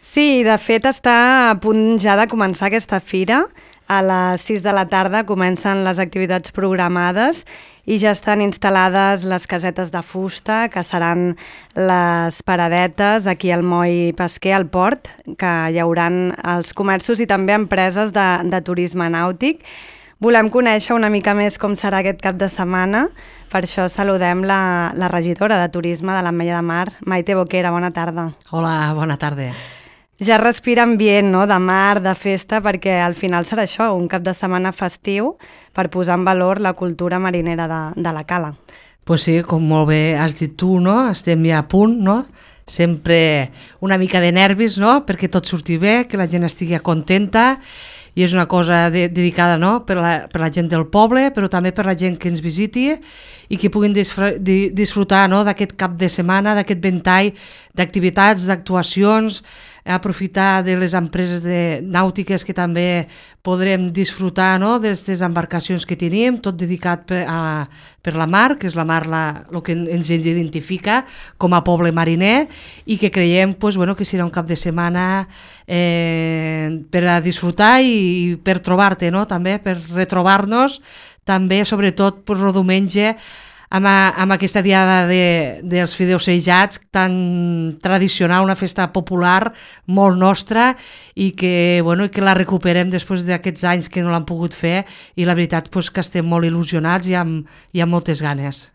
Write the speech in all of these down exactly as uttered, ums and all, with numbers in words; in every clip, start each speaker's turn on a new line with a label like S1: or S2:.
S1: Sí, de fet està a punt ja de començar aquesta fira. A les sis de la tarda comencen les activitats programades i ja estan instal·lades les casetes de fusta, que seran les paradetes aquí al moll pesquer, al port, que hi hauran els comerços i també empreses de, de turisme nàutic. Volem conèixer una mica més com serà aquest cap de setmana. Per això saludem la, la regidora de Turisme de l'Ametlla de Mar, Maite Boquera. Bona tarda.
S2: Hola, bona tarda.
S1: Ja respira ambient, no?, de mar, de festa, perquè al final serà això, un cap de setmana festiu per posar en valor la cultura marinera de, de la cala.
S2: Pues sí, com molt bé has dit tu, no? Estem ja a punt, no? Sempre una mica de nervis, no?, perquè tot surti bé, que la gent estigui contenta, i és una cosa de, dedicada, no?, per la, per la gent del poble, però també per la gent que ens visiti i que puguin disfr di, disfrutar, no?, d'aquest cap de setmana, d'aquest ventall d'activitats, d'actuacions, aprofitar de les empreses de nàutiques que també podrem disfrutar, no?, d'aquestes embarcacions que tenim, tot dedicat per, a, per la mar, que és la mar la, el que ens identifica com a poble mariner, i que creiem pues, bueno, que serà un cap de setmana eh, per a disfrutar i, i per trobar-te, no?, també per retrobar-nos, també sobretot per el diumenge, amb, a, amb aquesta diada de, dels fideus sellats tan tradicional, una festa popular molt nostra i que, bueno, que la recuperem després d'aquests anys que no l'han pogut fer, i la veritat pues, que estem molt il·lusionats i amb, i amb moltes ganes.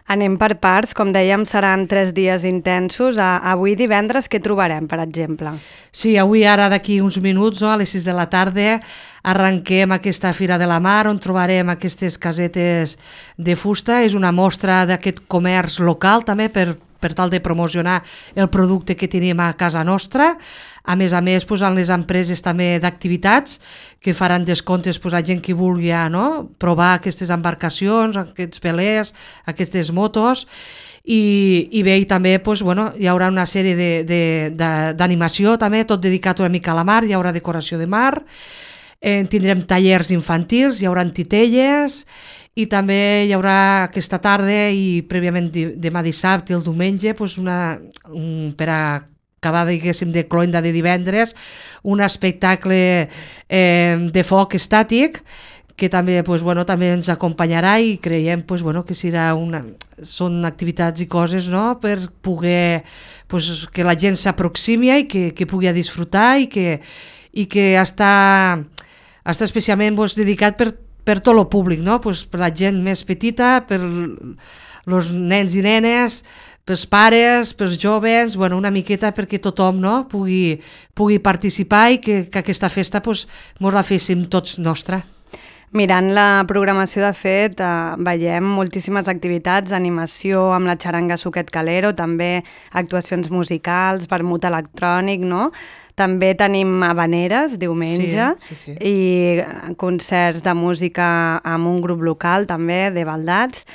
S1: Anem per parts, com dèiem, seran tres dies intensos. A, avui divendres què trobarem, per exemple?
S2: Sí, avui ara d'aquí uns minuts, no, a les sis de la tarda, arrenquem aquesta Fira de la Mar, on trobarem aquestes casetes de fusta. És una mostra d'aquest comerç local també per, per tal de promocionar el producte que tenim a casa nostra. A més a més, pues, en les empreses també d'activitats que faran descomptes pues, a gent que vulgui, no?, provar aquestes embarcacions, aquests velers, aquestes motos. I, i bé, i també pues, bueno, hi haurà una sèrie d'animació també, tot dedicat una mica a la mar, hi haurà decoració de mar, eh, tindrem tallers infantils, hi haurà titelles, i també hi haurà aquesta tarda i prèviament demà dissabte i el diumenge pues, una, un, per a acabar, diguéssim, de cloenda de divendres, un espectacle eh, de foc estàtic que també, pues, bueno, també ens acompanyarà, i creiem pues, bueno, que serà una, són activitats i coses, no?, per poder pues, que la gent s'aproximi i que, que pugui disfrutar, i que, i que està, està especialment pues, dedicat per, per tot el públic, no?, pues, per la gent més petita, per els nens i nenes, pels pares, pels joves, bueno, una miqueta perquè tothom, no?, pugui, pugui participar i que, que aquesta festa pues, mos la féssim tots nostra.
S1: Mirant la programació, de fet, eh, veiem moltíssimes activitats, animació amb la xaranga Suquet Calero, també actuacions musicals, vermut electrònic, no? També tenim habaneres diumenge,
S2: sí, sí, sí.
S1: I concerts de música amb un grup local també, de baldats.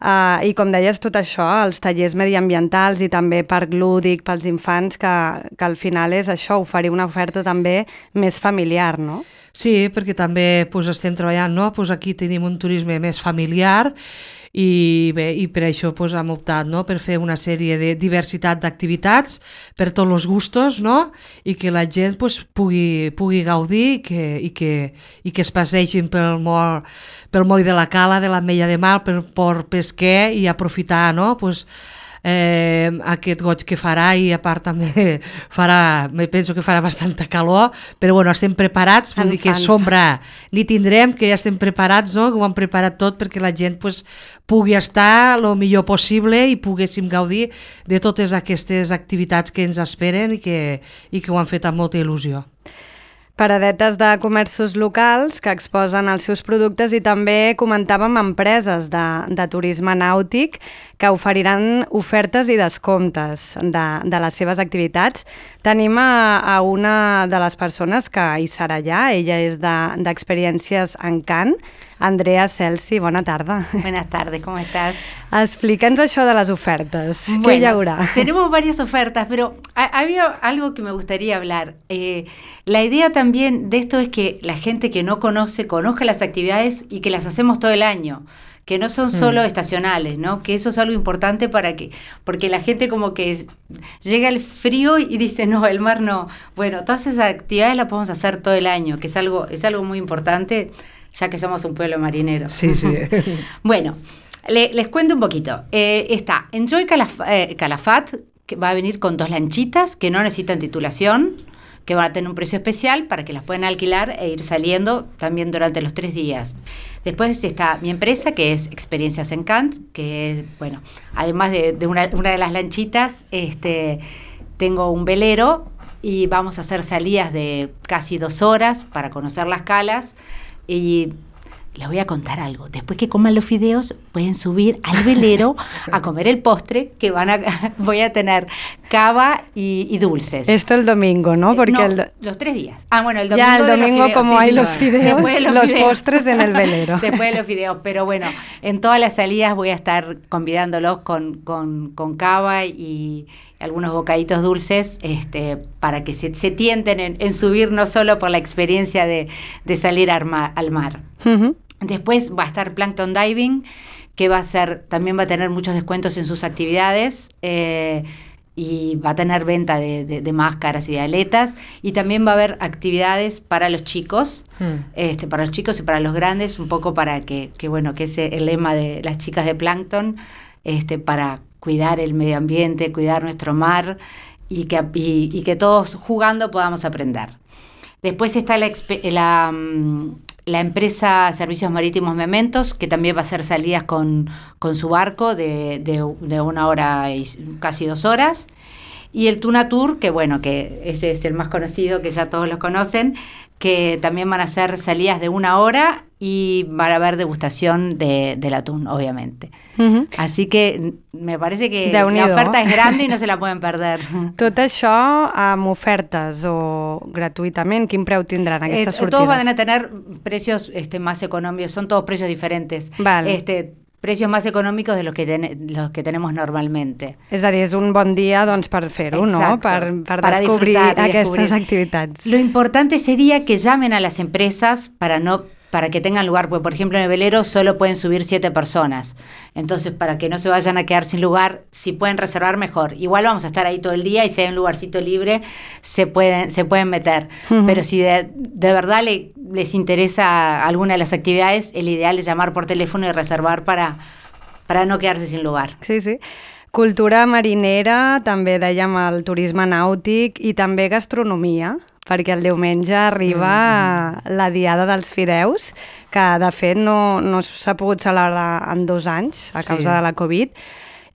S1: Uh, I com deies, tot això, els tallers mediambientals i també parc lúdic pels infants, que, que al final és això, oferir una oferta també més familiar, no?
S2: Sí, perquè també pues, estem treballant, no? Pues aquí tenim un turisme més familiar, i bé, i per això pues, hem optat, no?, per fer una sèrie de diversitat d'activitats per tots els gustos, no?, i que la gent pues, pugui, pugui gaudir i que, i, que, i que es passegin pel moll, pel moll de la Cala, de l'Ametlla de Mar, pel port pesquer, i aprofitar, no?, pues, eh, aquest goig que farà, i a part també farà, me penso que farà bastanta calor, però bueno, estem preparats, vull dir que sombra ni tindrem, que ja estem preparats, no?, que ho hem preparat tot perquè la gent pues, pugui estar el millor possible i poguéssim gaudir de totes aquestes activitats que ens esperen i que, i que ho han fet amb molta il·lusió.
S1: Paradetes de comerços locals que exposen els seus productes, i també comentàvem empreses de, de turisme nàutic que oferiran ofertes i descomptes de, de les seves activitats. Tenim a, a una de les persones que hi serà allà, ella és d'Experiències Encant, Andrea Celsi, bona tarda.
S3: Buenas tardes, ¿cómo estás?
S1: Explica'ns això de les ofertes,
S3: bueno,
S1: ¿qué hi haurà?
S3: Tenemos varias ofertas, pero había algo que me gustaría hablar. Eh, la idea también de esto es que la gente que no conoce, conozca las actividades y que las hacemos todo el año, que no son solo mm. estacionales, ¿no? Que eso es algo importante para que, porque la gente como que es, llega el frío y dice, no, el mar no. Bueno, todas esas actividades las podemos hacer todo el año, que es algo, es algo muy importante, ya que somos un pueblo marinero.
S2: Sí, sí.
S3: Bueno, le, les cuento un poquito. Eh, está Enjoy Calaf eh, Calafat, que va a venir con dos lanchitas que no necesitan titulación, que van a tener un precio especial para que las puedan alquilar e ir saliendo también durante los tres días. Después está mi empresa, que es Experiencias Encant, que es, bueno, además de, de una, una de las lanchitas, este, tengo un velero y vamos a hacer salidas de casi dos horas para conocer las calas. Y les voy a contar algo. Después que coman los fideos, pueden subir al velero a comer el postre, que van a voy a tener cava y, y dulces.
S1: Esto el domingo, ¿no? Porque
S3: no,
S1: el...
S3: los tres días. Ah, bueno, el domingo,
S1: ya, el
S3: de
S1: domingo
S3: los fideos.
S1: como
S3: Sí,
S1: hay
S3: sí,
S1: los
S3: no.
S1: fideos,
S3: Después de los,
S1: los
S3: fideos.
S1: postres en el velero.
S3: Después de los fideos. Pero bueno, en todas las salidas voy a estar convidándolos con, con, con cava y algunos bocaditos dulces, este, para que se, se tienten en, en subir, no solo por la experiencia de, de salir al mar. Al mar. Uh-huh. Después va a estar Plankton Diving, que va a ser, también va a tener muchos descuentos en sus actividades, eh, y va a tener venta de, de, de máscaras y de aletas, y también va a haber actividades para los chicos, mm. este, para los chicos y para los grandes, un poco para que, que bueno, que ese el lema de las chicas de Plankton, este, para cuidar el medio ambiente, cuidar nuestro mar, y que, y, y que todos jugando podamos aprender. Después está la, la la empresa Servicios Marítimos Mementos, que también va a hacer salidas con, con su barco de, de, de una hora y casi dos horas. Y el Tuna Tour, que bueno, que ese es el más conocido, que ya todos lo conocen, que también van a hacer salidas de una hora y van a haber degustación de, del atún, obviamente. Uh-huh. Así que me parece que la oferta es grande y no se la pueden perder.
S1: Tot això amb ofertes o gratuïtament, quin preu tindran aquestes eh, sortides?
S3: Todos van a tener precios este, más económicos, son todos precios diferentes.
S1: Vale.
S3: Este, precios más económicos de los que, ten, los que tenemos normalmente.
S1: És a dir, és un bon dia doncs, per fer-ho, no? Per, per para descobrir aquestes descubrir. activitats.
S3: Lo importante sería que llamen a las empresas para no para que tengan lugar, porque por ejemplo en el velero solo pueden subir siete personas, entonces para que no se vayan a quedar sin lugar, si pueden reservar mejor. Igual vamos a estar ahí todo el día y si hay un lugarcito libre se pueden, se pueden meter, uh-huh. Pero si de, de verdad le, les interesa alguna de las actividades, el ideal es llamar por teléfono y reservar para, para no quedarse sin lugar.
S1: Sí, sí. Cultura marinera, també dèiem el turisme nàutic i també gastronomia, perquè el diumenge arriba mm-hmm. la Diada dels Fideus, que de fet no, no s'ha pogut celebrar en dos anys a causa sí. de la Covid,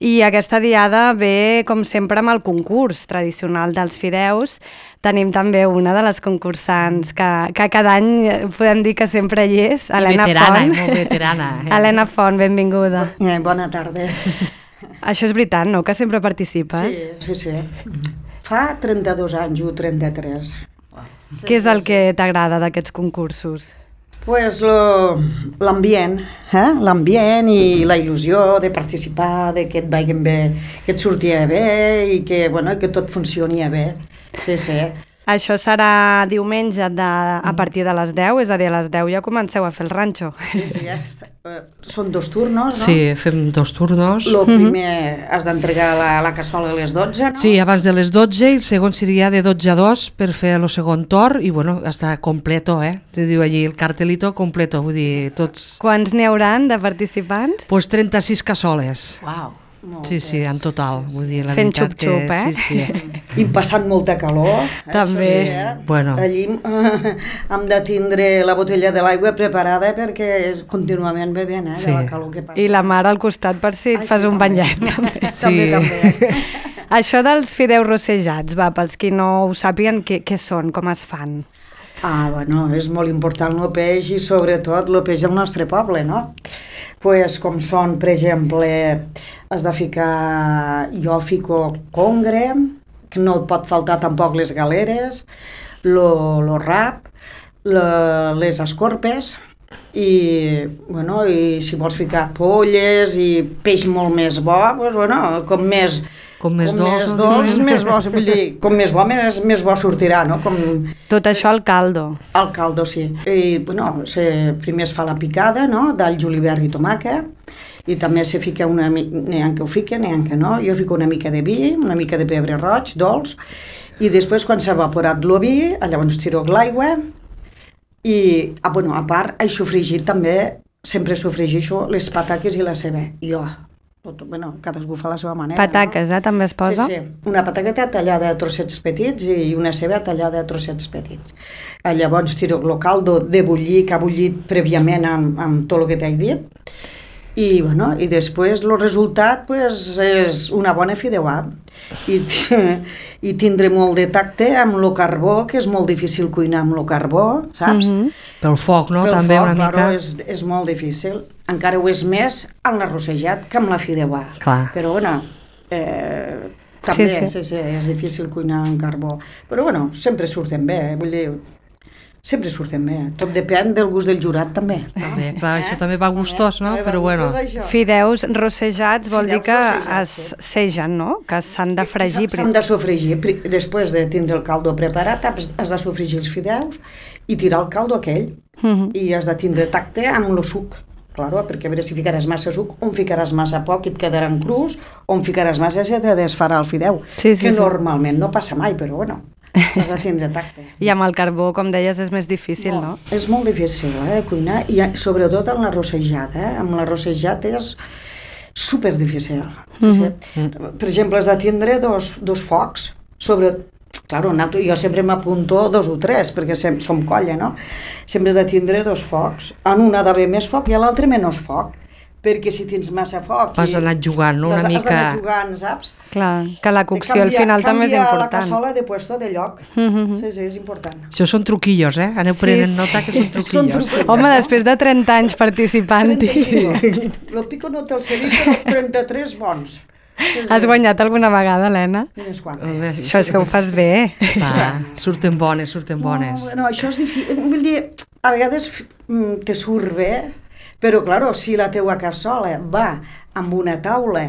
S1: i aquesta Diada ve, com sempre, amb el concurs tradicional dels fideus. Tenim també una de les concursants que, que cada any podem dir que sempre hi és, Helena
S2: veterana,
S1: Font.
S2: Molt veterana. Eh?
S1: Helena Font, benvinguda.
S4: Eh, bona tarda.
S1: Això és veritat, no?, que sempre participes?
S4: Sí, sí, sí. Fa trenta-dos anys, o trenta-tres.
S1: Sí, Què és el sí, que t'agrada d'aquests concursos?
S4: Pues l'ambient, eh? l'ambient i la il·lusió de participar, de que et vagin bé, que et sortia bé i que, bueno, que tot funcionia bé. Sí, sí.
S1: Això serà diumenge de, a partir de les deu, és a dir, a les deu ja comenceu a fer el ranxo.
S4: Sí, sí, ja està. Són dos turnos, no?
S2: Sí, fem dos turnos.
S4: El primer mm-hmm. has d'entregar la, la cassola a les dotze, no?
S2: Sí, abans de les dotze, i el segon seria de dotze a dos per fer el segon torn i, bueno, està completo, eh? Te diu allí el cartelito completo, vull dir, tots...
S1: Quants n'hi hauran de participants?
S2: Pues trenta-sis cassoles.
S3: Uau!
S4: Moltes.
S2: Sí, sí, en total. Vull dir, la
S1: fent
S2: veritat
S1: xup-xup,
S2: que...
S1: eh?
S2: Sí, sí.
S4: I passant molta calor. Eh?
S1: També.
S4: Sí, eh?
S2: Bueno.
S4: Allí eh, hem de tindre la botella de l'aigua preparada perquè és contínuament bevent, eh?
S2: Sí.
S4: De la calor que passa.
S1: I la mar al costat per si et
S4: Ai,
S1: fas
S4: sí,
S1: un
S4: també.
S1: banyet. També.
S2: Sí.
S4: també, també.
S1: Això dels fideus rossejats, va, pels qui no ho sàpiguen, què, què són, com es fan?
S4: Ah, bueno, és molt important el peix i sobretot el peix del nostre poble, no? Pues, com són, per exemple, has de ficar, jo fico congre, que no et pot faltar tampoc les galeres, lo, lo rap, la, les escorpes, i, bueno, i si vols ficar polles i peix molt més bo, pues, bueno, com més,
S2: Com més
S4: com
S2: dolç,
S4: més
S2: no?
S4: dolç, més bo, vull dir, com més bo, més, més bo sortirà, no? Com
S1: Tot això al caldo.
S4: el caldo, sí. I, bueno, se, primer es fa la picada, no?, d'all, julivert i tomàquet, i també se fica una mica, n'hi ha que ho fiquen, n'hi ha que no, jo fico una mica de vi, una mica de pebre roig, dolç, i després quan s'ha evaporat el vi, llavors tiro l'aigua, i, ah, bueno, a part, he sofregit també, sempre sofregixo les pataques i la ceba. I jo, tot, bueno, cadascú fa la seva manera.
S1: Pataques,
S4: no?
S1: eh, també es posa?
S4: Sí, sí. Una pataqueta tallada a trossets petits i una ceba tallada a trossets petits. Llavors tiro el caldo de bullir, que ha bullit prèviament amb, amb tot el que t'he dit, i, bueno, i després el resultat pues, és una bona fideuà. I, i tindré molt de tacte amb el carbó, que és molt difícil cuinar amb el carbó, saps?
S1: Mhm.
S2: Pel foc, no?
S4: Pel
S2: També
S4: foc,
S2: una mica.
S4: claro, és, és molt difícil. Encara ho és més amb l'arrossejat que amb la fideuà.
S2: Clar.
S4: Però, bueno, eh, també
S1: Sí,
S4: sí,
S1: sí.
S4: sí. Sí, és difícil cuinar amb carbó. Però, bueno, sempre surten bé, eh? Vull dir, sempre surten bé. Tot depèn del gust del jurat, també. No?
S2: També, clar, això també va gustós, no?
S4: També va
S2: Però bueno.
S4: gustós, això.
S1: Fideus rossejats vol
S4: Fideus
S1: dir que
S4: rossejats,
S1: es
S4: sí.
S1: segen, no? Que s'han de fregir.
S4: S'han de sofregir. Pri- Després de tindre el caldo preparat, has has de sofregir els fideus i tirar el caldo aquell.
S1: Mhm.
S4: I has de tindre tacte amb el suc. Claro, perquè a veure si ficaràs massa suc, o en ficaràs massa poc i et quedaran crus, o en ficaràs massa i se te desfarà el fideu.
S1: Sí, sí,
S4: que
S1: sí.
S4: normalment no passa mai, però bueno, has de tindre tacte.
S1: I amb el carbó, com deies, és més difícil, no?
S4: És molt difícil, eh, cuinar, i eh, sobretot amb l'arrossejat, eh? Amb l'arrossejat és super difícil. Sí, sí.
S1: Mhm.
S4: Per exemple, has de tindre dos, dos focs, sobre... Claro, jo sempre m'apunto dos o tres, perquè sem som colla, no? Sempre has de tindre dos focs. En una ha d'haver més foc i a l'altre menys foc, perquè si tens massa foc...
S2: Vas
S4: i
S2: anar jugant, no? Una
S4: has,
S2: mica...
S4: Has d'anar jugant, saps?
S1: Clar, que la cocció
S4: Canvia-
S1: al final també és
S4: canvia la
S1: important.
S4: cassola de puesto, de lloc.
S1: Mhm.
S4: Sí, sí, és important.
S2: Això són truquillos, eh? Aneu
S1: Sí,
S2: prenent
S1: sí.
S2: nota que són
S4: Són
S2: truquillos.
S4: truquillos.
S1: Home,
S4: no?
S1: després de trenta anys participant-hi,
S4: trenta-cinc. Lo pico no te'l sé dir, però trenta-tres bons. Sí, sí.
S1: has guanyat alguna vegada, Helena?
S4: Unes
S2: Molt
S4: quantes.
S2: bé.
S1: Això és que ho fas bé.
S2: Va, surten bones, surten bones.
S4: No, no, això és difícil. Vull dir, a vegades mm, te surt bé, però, claro, si la teua cassola va amb una taula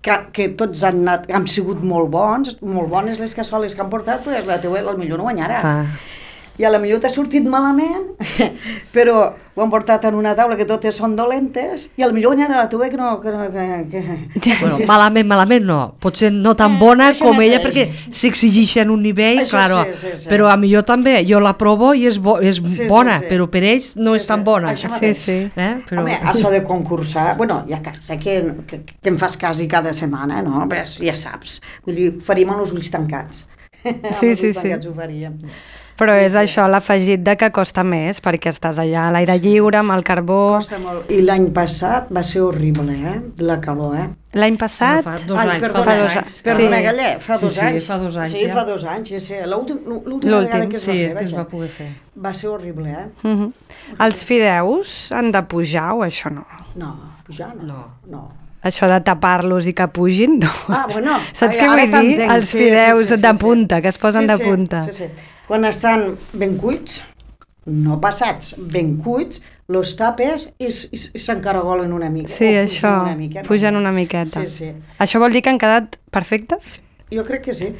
S4: que, que tots han, anat, han sigut molt bons, molt bones les cassoles que han portat, pues la teua potser no guanyarà.
S2: Clar.
S4: I a la millor t'ha sortit malament, però ho han portat en una taula que totes són dolentes, i a la millor guanyarà la teua que no... Que, no, que, que...
S2: Bueno, malament, malament no. Potser no tan
S4: Eh,
S2: bona
S4: això
S2: com ella,
S4: mateix.
S2: perquè s'exigeixen un nivell,
S4: Això
S2: claro.
S4: sí, sí, sí.
S2: Però a millor també, jo la provo i és, bo, és
S4: Sí, sí,
S2: bona,
S4: sí.
S2: però per ells no
S4: Sí,
S2: és tan
S4: sí,
S2: bona.
S4: això
S1: Sí,
S4: mateix.
S1: sí.
S2: Eh? Però...
S4: Home, això de concursar, bueno, ja que, sé que, que, que em fas quasi cada setmana, no? Però ja saps, vull dir, ho faríem amb els ulls tancats. Amb
S1: Sí,
S4: els
S1: sí,
S4: ulls
S1: sí.
S4: tancats ho faríem.
S1: Però
S4: Sí,
S1: és
S4: sí.
S1: això, l'afegit de que costa més, perquè estàs allà a l'aire lliure, amb el carbó...
S4: Costa molt. I l'any passat va ser horrible, eh? La calor, eh?
S1: L'any passat...
S2: Fa dos
S4: Ai,
S2: anys,
S4: perdona,
S2: fa dos
S1: fa
S2: anys.
S1: dos-
S4: Perdona,
S1: Sí.
S4: Galler, fa
S2: Sí,
S4: dos
S2: sí,
S4: anys.
S2: fa dos anys,
S4: Sí,
S2: ja.
S4: fa dos anys, ja sé. L'últim- L'última
S1: L'últim.
S4: vegada que es va
S2: Sí,
S4: fer,
S2: que es
S4: vaja.
S2: va poder fer.
S4: Va ser horrible, eh?
S1: Mhm. Els fideus han de pujar o això no?
S4: No, pujar no.
S2: No.
S4: no.
S1: Això de tapar-los i que pugin, no.
S4: Ah, bueno.
S1: Saps
S4: ai,
S1: què
S4: ara
S1: vull dir?
S4: t'entenc,
S1: Els
S4: sí,
S1: fideus
S4: sí, sí, sí,
S1: de
S4: sí.
S1: punta, que es posen
S4: sí,
S1: de
S4: sí,
S1: punta.
S4: Sí, sí. Quan estan ben cuits, no passats, ben cuits, los tapes i, s- i, s- i s'encaragolen una mica.
S1: Sí,
S4: o pugen
S1: això,
S4: una mica, no?
S1: pugen una miqueta.
S4: Sí, sí.
S1: Això vol dir que han quedat perfectes?
S4: Jo crec que sí.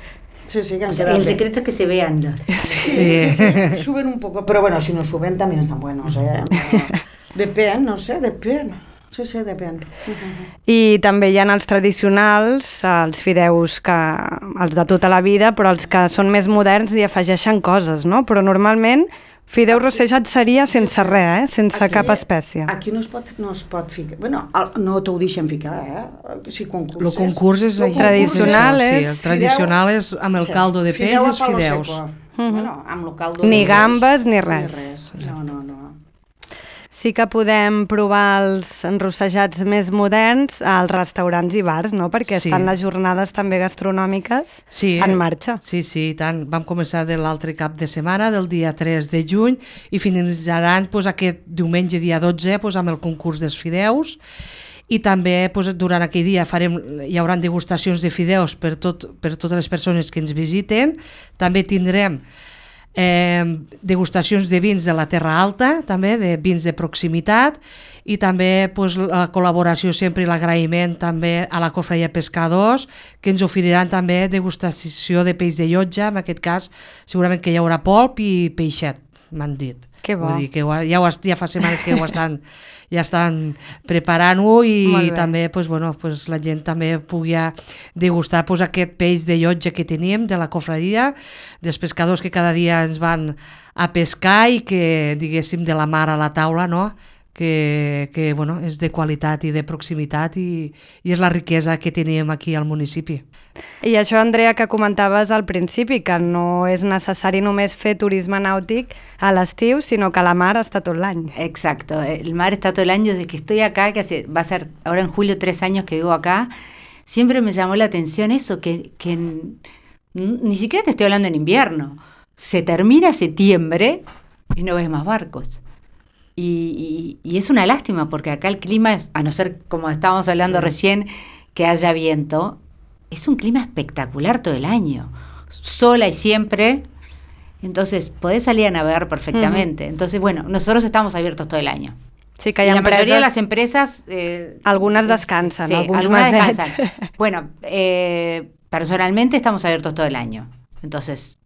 S4: Sí, sí, que han
S3: O sea,
S4: quedat
S3: el
S4: bé.
S3: secreto es que se vean los.
S4: Sí, sí, sí, sí, suben un poco, pero bueno, si no suben también están buenos, ¿eh? No, depèn, no sé, depèn. Sí, sí, depèn.
S1: I també hi ha els tradicionals, els fideus que, els de tota la vida, però els que són més moderns i afegeixen coses, no? Però normalment fideu rossejat seria sense
S4: Sí, sí.
S1: res, eh? Sense
S4: Aquí-
S1: cap espècie.
S4: Aquí no es pot, no es pot ficar... Bueno, el- no t'ho deixen ficar, eh? Si concurses...
S2: El concurs és
S4: Lo
S2: allà.
S1: Tradicional
S2: sí,
S1: és-
S2: el tradicional és amb el
S4: Sí,
S2: caldo de peix i
S4: fideu a
S2: els
S4: palo
S2: fideus.
S4: seco.
S1: Mhm.
S4: Bueno, amb el caldo
S1: Ni
S4: de peix,
S1: gambes ni res.
S4: Ni res. No, no, no.
S1: Sí que podem provar els enrossejats més moderns als restaurants i bars, no? Perquè
S2: Sí.
S1: estan les jornades també gastronòmiques
S2: Sí,
S1: en marxa.
S2: Sí, sí, i tant. Vam començar de l'altre cap de setmana, del dia tres de juny, i finalitzaran pues, aquest diumenge, dia dotze, pues, amb el concurs dels fideus. I també pues, durant aquell dia farem, hi haurà degustacions de fideus per, tot, per totes les persones que ens visiten. També tindrem eh, degustacions de vins de la Terra Alta, també, de vins de proximitat, i també pues, la col·laboració sempre i l'agraïment també a la Cofraia Pescadors, que ens oferiran també degustació de peix de llotja, en aquest cas segurament que hi haurà polp i peixet, m'han dit.
S1: Que bo.
S2: Vull dir que ja, ho, ja fa setmanes que ho estan, ja estan preparant-ho i també pues, bueno, pues, la gent també pugui degustar pues, aquest peix de llotja que tenim de la cofradia, dels pescadors que cada dia ens van a pescar i que, diguéssim, de la mar a la taula, no?, que, que bueno, és de qualitat i de proximitat i, i és la riquesa que tenim aquí al municipi.
S1: I això, Andrea, que comentaves al principi, que no és necessari només fer turisme nàutic a l'estiu, sinó que la mar està tot l'any.
S3: Exacto, el mar está todo el año. Desde que estoy acá, que hace, va a ser ahora en julio tres años que vivo acá, siempre me llamó la atención eso, que, que ni siquiera te estoy hablando en invierno, se termina septiembre y no ves más barcos. Y, y, y es una lástima porque acá el clima, a no ser como estábamos hablando recién, que haya viento, es un clima espectacular todo el año, sol hay siempre, entonces podés salir a navegar perfectamente. Uh-huh. Entonces, bueno, nosotros estamos abiertos todo el año.
S1: Sí, que hay
S3: y la
S1: empreses,
S3: mayoría de las empresas... Eh,
S1: algunas descansan,
S3: sí,
S1: algunas
S3: masets. descansan. Bueno, eh, personalmente estamos abiertos todo el año, entonces...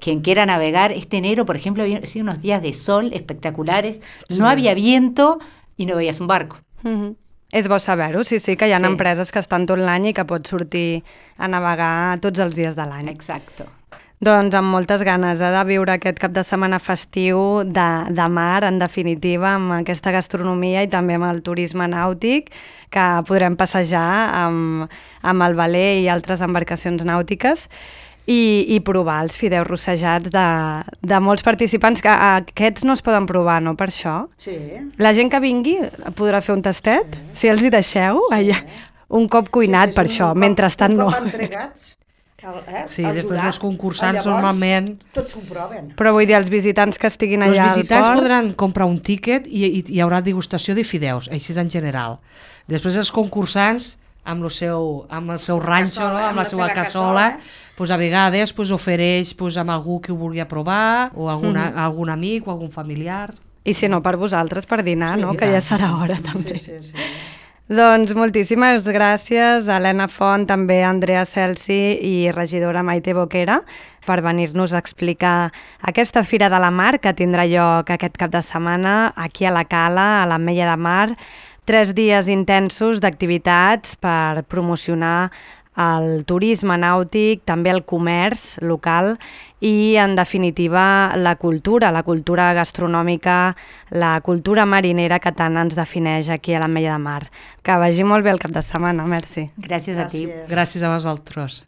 S3: Quien quiera navegar, este enero, por ejemplo, había sido unos días de sol espectaculares, sí. No había viento i no veies un barco.
S1: Mm-hmm. És bo saber-ho, sí, sí, que hi ha sí. empreses que estan tot l'any i que pots sortir a navegar tots els dies de l'any.
S3: Exacte.
S1: Doncs amb moltes ganes eh, de viure aquest cap de setmana festiu de, de mar, en definitiva, amb aquesta gastronomia i també amb el turisme nàutic, que podrem passejar amb, amb el veler i altres embarcacions nàutiques. I, i provar els fideus rossejats de, de molts participants, que aquests no es poden provar, no, per això?
S4: Sí.
S1: La gent que vingui podrà fer un tastet, sí. Si els hi deixeu, sí. Allà, un cop cuinat, sí, sí, per això, cop, mentrestant no.
S4: Un cop entregats, el, eh,
S2: sí,
S4: el
S2: després
S4: jurat,
S2: els concursants
S4: llavors,
S2: normalment...
S4: tots s'ho proven.
S1: Però vull dir, els visitants que estiguin allà al port...
S2: Els visitants podran comprar un tíquet i, i hi haurà degustació de fideus, així en general. Després els concursants, amb el seu, amb el seu ranxo, no? Amb la seva cassola, pues a vegades pues, ofereix pues, amb algú que ho vulgui provar, o alguna, mm-hmm. algun amic o algun familiar.
S1: I si no, per vosaltres, per dinar, sí, no? Que ja serà hora, també.
S4: Sí, sí, sí.
S1: Doncs moltíssimes gràcies a Helena Font, també a Andrea Celsi i regidora Maite Boquera per venir-nos a explicar aquesta Fira de la Mar que tindrà lloc aquest cap de setmana aquí a la Cala, a l'Ametlla de Mar. Tres dies intensos d'activitats per promocionar el turisme nàutic, també el comerç local i, en definitiva, la cultura, la cultura gastronòmica, la cultura marinera que tant ens defineix aquí a l'Ametlla de Mar. Que vagi molt bé el cap de setmana, merci.
S3: Gràcies a ti.
S2: Gràcies a vosaltres.